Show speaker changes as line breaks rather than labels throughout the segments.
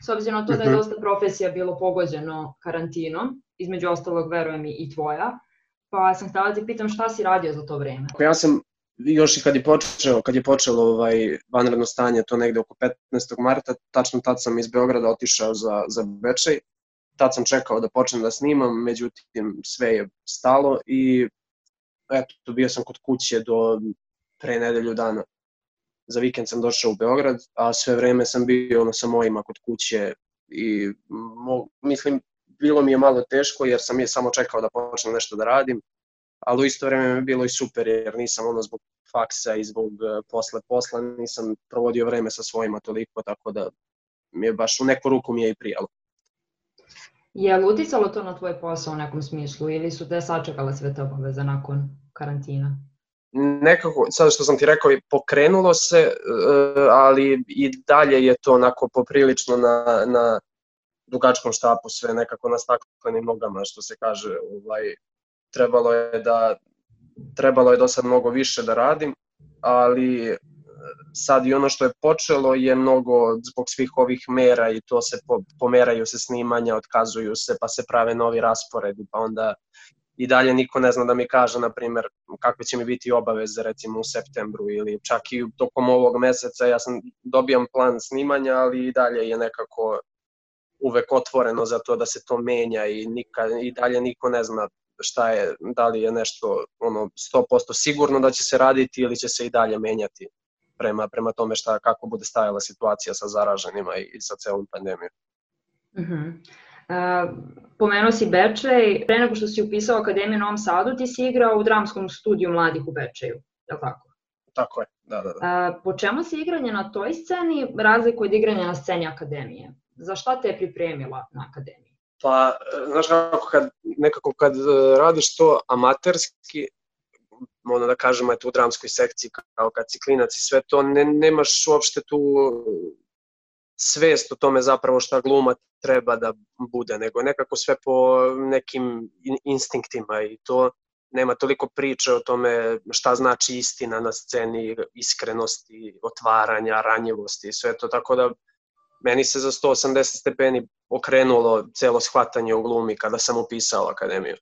s obzirom na to da je dosta profesija bilo pogođeno karantinom, između ostalog verujem i tvoja, pa sam htjela ti pitam šta si radio za to vreme?
Ja sam još i kad je počelo vanredno stanje, to negde oko 15. marta, tačno tad sam iz Beograda otišao za Bečej. Tad sam čekao da počnem da snimam, međutim sve je stalo i eto, bio sam kod kuće do pre nedelju dana. Za vikend sam došao u Beograd, a sve vreme sam bio sa mojima kod kuće i mislim, bilo mi je malo teško jer sam je samo čekao da počnem nešto da radim, ali u isto vreme mi je bilo i super jer nisam zbog faksa i zbog posla nisam provodio vreme sa svojima toliko, tako da mi je baš u neku ruku mi je i prijalo.
Je li uticalo to na tvoj posao u nekom smislu ili su te sačekale sve te obaveze nakon karantina?
Nekako, sada što sam ti rekao, pokrenulo se, ali i dalje je to onako poprilično na dugačkom štapu, sve nekako na staklenim nogama, što se kaže. Trebalo je do sad mnogo više da radim, ali sad i ono što je počelo je mnogo zbog svih ovih mera i to se pomeraju se snimanja, otkazuju se, pa se prave novi rasporedi, pa onda i dalje niko ne zna da mi kaže, na primjer, kakve će mi biti obaveze recimo u septembru ili čak i tokom ovog meseca. Ja sam dobijam plan snimanja, ali i dalje je nekako uvek otvoreno za to da se to menja i dalje niko ne zna šta je, da li je nešto 100% sigurno da će se raditi ili će se i dalje menjati prema tome kako bude stajala situacija sa zaraženima i sa celom pandemijom.
Pomenuo si Bečej, pre nego što si upisao Akademiju u Novom Sadu, ti si igrao u dramskom studiju mladih u Bečeju, je li tako?
Tako je, da.
Po čemu se igranje na toj sceni razlikuje od igranja na sceni Akademije? Za šta te je pripremila na Akademiji?
Pa, znaš nekako kad radiš to amaterski, da kažemo u dramskoj sekciji, kao kad si klinac i sve to, nemaš uopšte tu svest o tome zapravo šta gluma treba da bude, nego nekako sve po nekim instinktima i to nema toliko priče o tome šta znači istina na sceni, iskrenosti, otvaranja, ranjivosti i sve to, tako da meni se za 180 stepeni okrenulo celo shvatanje u glumi kada sam upisao Akademiju.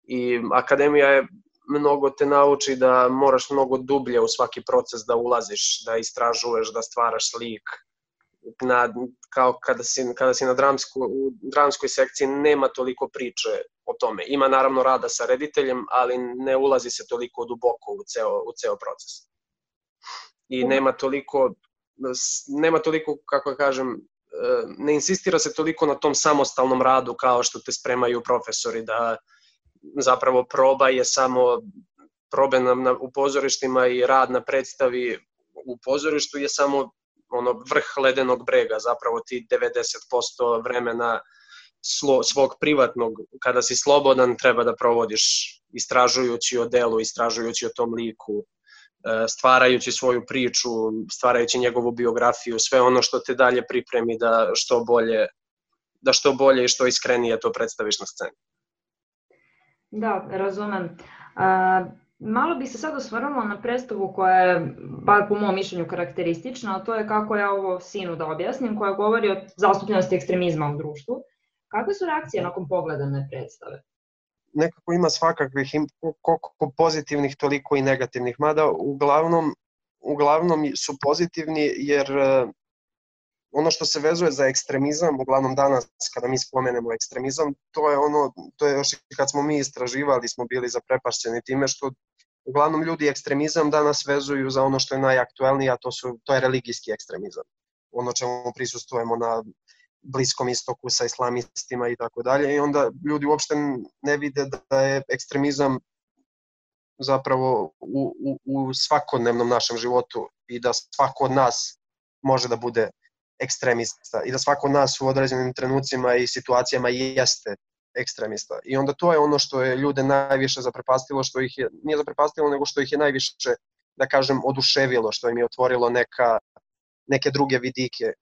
I Akademija je mnogo te nauči da moraš mnogo dublje u svaki proces da ulaziš, da istražuješ, da stvaraš slik. Kao kada si na dramskoj sekciji nema toliko priče o tome. Ima naravno rada sa rediteljem, ali ne ulazi se toliko duboko u ceo proces. I nema toliko, kako kažem, ne insistira se toliko na tom samostalnom radu kao što te spremaju profesori, da zapravo proba je samo probe u pozorištima i rad na predstavi u pozorištu je samo vrh ledenog brega, zapravo ti 90% vremena svog privatnog, kada si slobodan, treba da provodiš istražujući o delu, istražujući o tom liku, stvarajući svoju priču, stvarajući njegovu biografiju, sve ono što te dalje pripremi da što bolje i što iskrenije to predstaviš na sceni.
Da, razumem. Malo bih se sad osvrnula na predstavu koja je, bar po mom mišljenju, karakteristična, a to je kako ja ovo sinu da objasnim, koja govori o zastupljenosti ekstremizma u društvu. Kakve su reakcije nakon pogledane predstave?
Nekako ima svakakvih, koliko pozitivnih, toliko i negativnih, mada uglavnom su pozitivni jer ono što se vezuje za ekstremizam, uglavnom danas kada mi spomenemo ekstremizam, to je još i kad smo mi istraživali, smo bili zaprepašćeni time što uglavnom ljudi ekstremizam danas vezuju za ono što je najaktuelnije, a to je religijski ekstremizam. Ono čemu prisustujemo na Bliskom istoku sa islamistima i tako dalje, i onda ljudi uopšte ne vide da je ekstremizam zapravo u svakodnevnom našem životu i da svako od nas može da bude ekstremista i da svako od nas u određenim trenucima i situacijama jeste ekstremista. I onda to je ono što je ljude najviše zaprepastilo, nije zaprepastilo, nego što ih je najviše, da kažem, oduševilo, što im je otvorilo neke druge vidike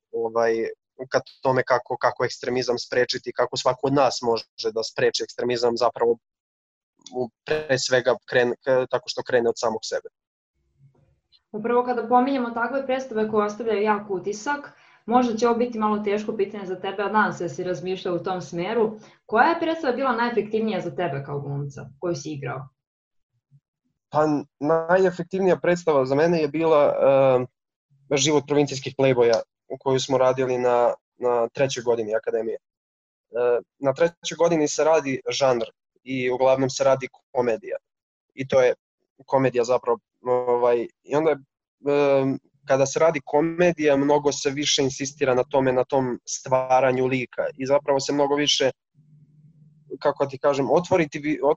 ka tome kako ekstremizam sprečiti, kako svako od nas može da spreči ekstremizam, zapravo pre svega tako što krene od samog sebe.
Upravo kada pominjemo takve predstave koje ostavljaju jak utisak, Možda će ovo biti malo teško pitanje za tebe, ali nadam se da si razmišljao u tom smeru. Koja je predstava bila najefektivnija za tebe kao glumca koju si igrao?
Pa najefektivnija predstava za mene je bila Život provincijskih plejboja koju smo radili na 3. godini akademije. Na 3. godini se radi žanr i uglavnom se radi komedija. I to je komedija zapravo. I onda kada se radi komedija, mnogo se više insistira na tome, na tom stvaranju lika i zapravo se mnogo više, kako ti kažem,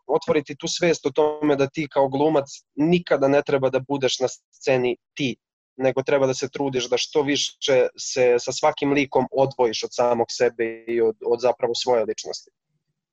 otvoriti tu svest o tome da ti kao glumac nikada ne treba da budeš na sceni ti, nego treba da se trudiš da što više se sa svakim likom odvojiš od samog sebe i od zapravo svoje ličnosti.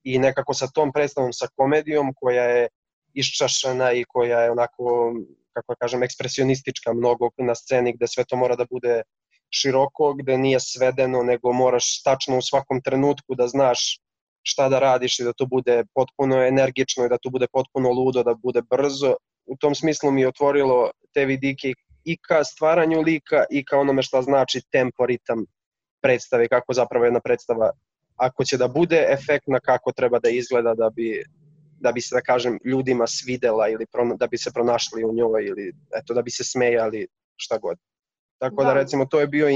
I nekako sa tom predstavom, sa komedijom koja je iščašena i koja je onako, kako kažem, ekspresionistička mnogo na sceni, gde sve to mora da bude široko, gde nije svedeno, nego moraš tačno u svakom trenutku da znaš šta da radiš i da to bude potpuno energično i da to bude potpuno ludo, da bude brzo. U tom smislu mi je otvorilo te vidike i ka stvaranju lika i ka onome šta znači tempo, ritam predstave, kako zapravo jedna predstava, ako će da bude efektna, kako treba da izgleda da bi se, da kažem, ljudima svidela ili da bi se pronašli u njoj ili eto, da bi se smejali, šta god. Tako da recimo to je bio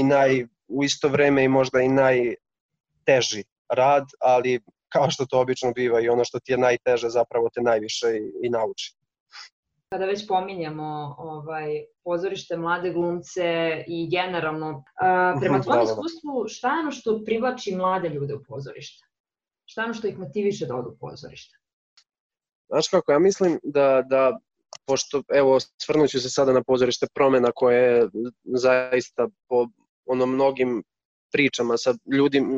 u isto vreme i možda i najteži rad, ali kao što to obično biva i ono što ti je najteže zapravo te najviše i nauči.
Kada već pominjamo pozorište, mlade glumce i generalno, prema tvojom iskustvu, šta je ono što privlači mlade ljude u pozorište? Šta je ono što ih motiviše da odu u pozorište?
Znaš kako, ja mislim da pošto, evo, svrnuću se sada na pozorište Promena koje je zaista po mnogim pričama sa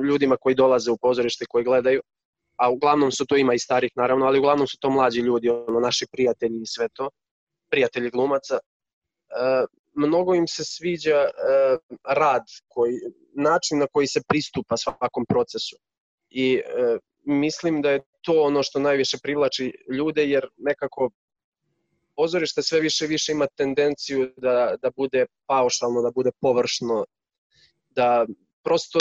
ljudima koji dolaze u pozorište, koji gledaju, a uglavnom su to, ima i starih naravno, ali uglavnom su to mlađi ljudi, naši prijatelji i sve to, prijatelji glumaca. Mnogo im se sviđa rad, način na koji se pristupa svakom procesu. I mislim da je to ono što najviše privlači ljude, jer nekako pozorište sve više i više ima tendenciju da bude paušalno, da bude površno, da prosto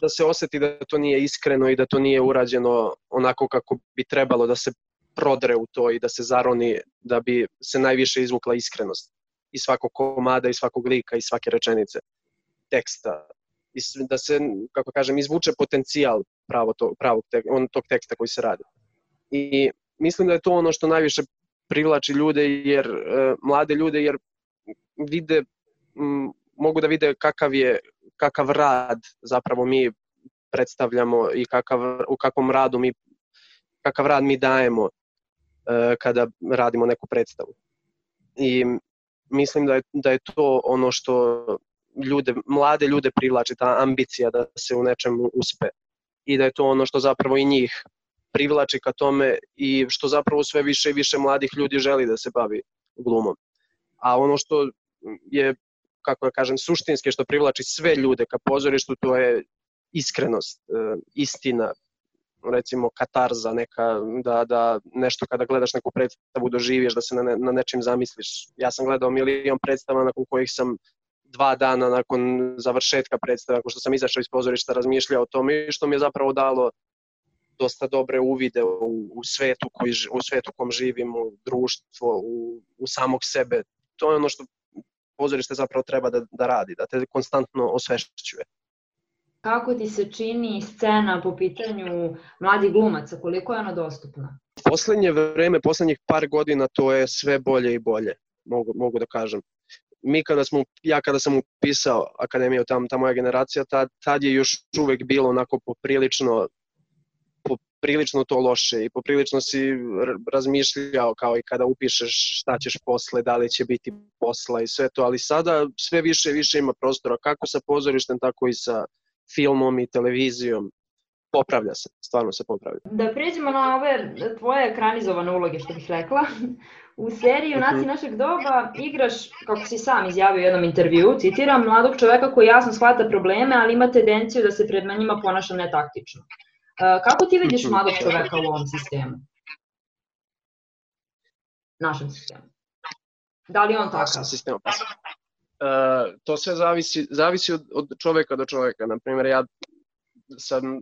da se oseti da to nije iskreno i da to nije urađeno onako kako bi trebalo, da se prodre u to i da se zaroni, da bi se najviše izvukla iskrenost iz svakog komada, iz svakog lika, iz svake rečenice teksta. Da se, kako kažem, izvuče potencijal tog teksta koji se radi. I mislim da je to ono što najviše privlači ljude, mlade ljude, jer mogu da vide kakav rad zapravo mi predstavljamo i kakav rad mi dajemo kada radimo neku predstavu. I mislim da je to ono što mlade ljude privlači, ta ambicija da se u nečemu uspe. I da je to ono što zapravo i njih privlači ka tome i što zapravo sve više i više mladih ljudi želi da se bavi glumom. A ono što je, kako da kažem, suštinski, što privlači sve ljude ka pozorištu, to je iskrenost, istina, recimo katarza neka, da nešto kada gledaš neku predstavu doživiješ, da se na nečim zamisliš. Ja sam gledao milion predstava nakon kojih sam 2 dana nakon završetka predstave, nakon što sam izašao iz pozorišta, razmišljao o tome i što mi je zapravo dalo dosta dobre uvide u svetu u kom živim, u društvo, u samog sebe. To je ono što pozorište zapravo treba da radi, da te konstantno osvešćuje.
Kako ti se čini scena po pitanju mladih glumaca, koliko je ona dostupna?
Poslednje vreme, poslednjih par godina, to je sve bolje i bolje, mogu da kažem. Kada sam upisao akademiju, ta moja generacija, tad je još uvek bilo onako poprilično to loše i poprilično si razmišljao kao i kada upišeš šta ćeš posle, da li će biti posla i sve to, ali sada sve više i više ima prostora, kako sa pozorištem, tako i sa filmom i televizijom. Popravlja se, stvarno se popravlja.
Da pređemo na ove tvoje ekranizovane uloge, što bih rekla. U seriji Junaci našeg doba igraš, kako si sam izjavio u jednom intervjuu, citiram, mladog čoveka koji jasno shvata probleme, ali ima tendenciju da se pred njima ponaša netaktično. Kako ti vidiš mladog čoveka u ovom sistemu? Našem sistemu. Da li je on takav?
To sve zavisi od čoveka do čoveka. Naprimjer, ja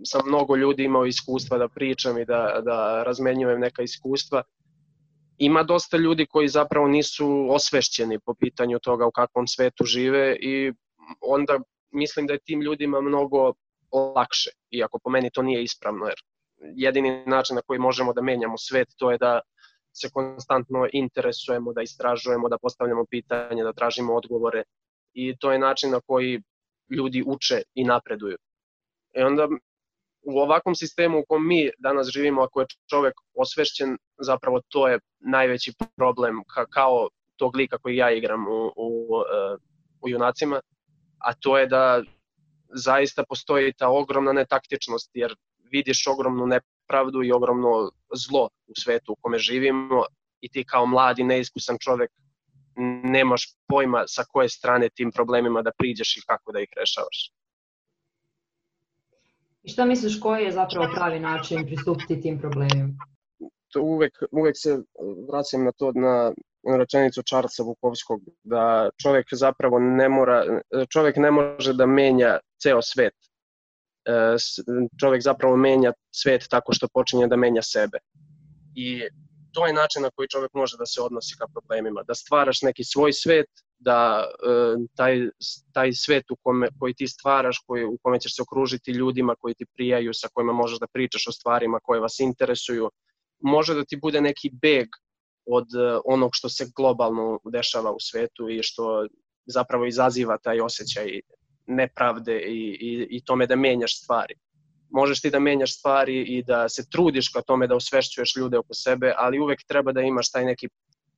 sam mnogo ljudi imao iskustva da pričam i da razmenjujem neka iskustva. Ima dosta ljudi koji zapravo nisu osvešćeni po pitanju toga u kakvom svetu žive i onda mislim da je tim ljudima mnogo lakše, iako po meni to nije ispravno, jer jedini način na koji možemo da menjamo svet to je da se konstantno interesujemo, da istražujemo, da postavljamo pitanje, da tražimo odgovore i to je način na koji ljudi uče i napreduju. I onda u ovakvom sistemu u kom mi danas živimo, ako je čovek osvešćen, zapravo to je najveći problem kao tog lika koji ja igram u Junacima, a to je da zaista postoji ta ogromna netaktičnost, jer vidiš ogromnu nepravdu i ogromno zlo u svetu u kome živimo i ti kao mladi, neiskusan čovek nemaš pojma sa koje strane tim problemima da priđeš i kako da ih rešavaš.
I šta misliš koji je zapravo pravi način pristupiti tim problemima?
To uvek se vraćam na to, na rečenicu Charlesa Bukowskog, da čovek zapravo čovek ne može da menja ceo svet. Čovek zapravo menja svet tako što počinje da menja sebe. I to je način na koji čovek može da se odnosi ka problemima, da stvaraš neki svoj svet, da taj svet koji ti stvaraš, u kome ćeš se okružiti ljudima koji ti prijaju, sa kojima možeš da pričaš o stvarima koje vas interesuju, može da ti bude neki beg od onog što se globalno dešava u svetu i što zapravo izaziva taj osjećaj nepravde i tome da menjaš stvari. Možeš ti da menjaš stvari i da se trudiš ka tome da osvešćuješ ljude oko sebe, ali uvek treba da imaš taj neki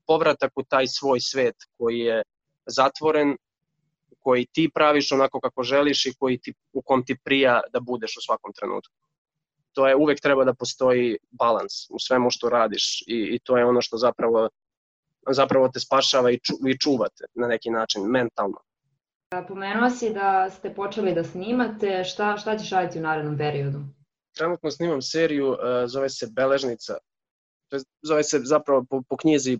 povratak u taj svoj svet koji je zatvoren, koji ti praviš onako kako želiš i u kom ti prija da budeš u svakom trenutku. To je uvek treba da postoji balans u svemu što radiš i to je ono što zapravo te spašava i čuvate na neki način, mentalno.
Pomenuo si da ste počeli da snimate, šta ćeš raditi u narednom periodu?
Trenutno snimam seriju, zove se Beležnica. Zove se zapravo po knjizi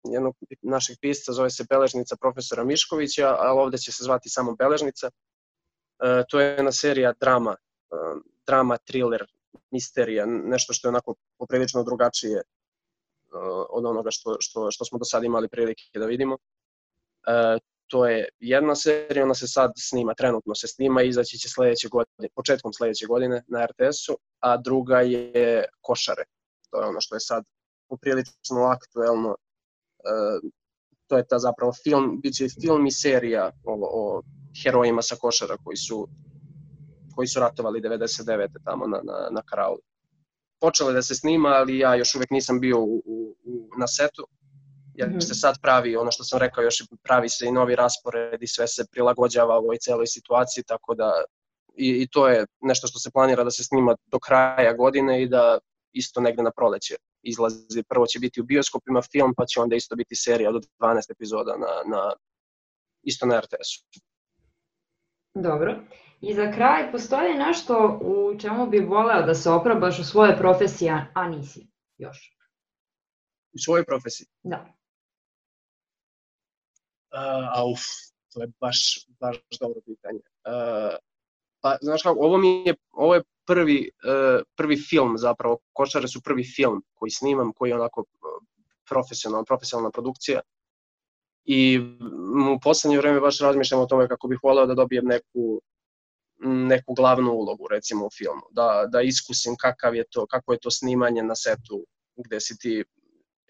jednog našeg pisca, zove se Beležnica profesora Miškovića, ali ovde će se zvati samo Beležnica. To je jedna serija drama, thriller, misterija, nešto što je onako poprilično drugačije od onoga što smo do sada imali prilike da vidimo. To je jedna serija, ona se sad snima, trenutno se snima i izaći će početkom sledeće godine na RTS-u, a druga je Košare. To je ono što je sad poprilično aktuelno. To je ta zapravo film, bit će film i serija o herojima sa Košara koji su ratovali 99. tamo na Karauli. Počelo je da se snima, ali ja još uvek nisam bio na setu, jer se sad pravi, ono što sam rekao, još pravi se i novi raspored i sve se prilagođava ovoj celoj situaciji, tako da i to je nešto što se planira da se snima do kraja godine i da isto negde na proleće izlazi. Prvo će biti u bioskopima film, pa će onda isto biti serija od 12 epizoda isto na RTS-u.
Dobro. I za kraj, postoji nešto u čemu bi voleo da se oprobaš u svojoj profesiji, a nisi još?
U svojoj profesiji?
Da.
To je baš dobro pitanje. Pa, znaš kako, ovo je prvi film zapravo, Košare su prvi film koji snimam, koji je onako profesionalna produkcija. I u poslednje vreme baš razmišljam o tome kako bih voleo da dobijem neku glavnu ulogu, recimo u filmu, da iskusim kako je to snimanje na setu, gde si ti,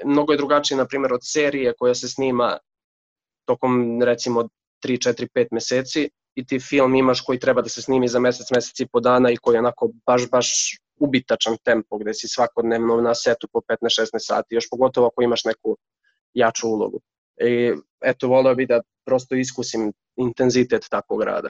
mnogo je drugačije, na primjer, od serije koja se snima tokom, recimo, 3, 4, 5 meseci i ti film imaš koji treba da se snimi za mesec i po dana i koji je onako baš ubitačan tempo, gde si svakodnevno na setu po 15-16 sati, još pogotovo ako imaš neku jaču ulogu. I eto, voleo bih da prosto iskusim intenzitet takvog rada.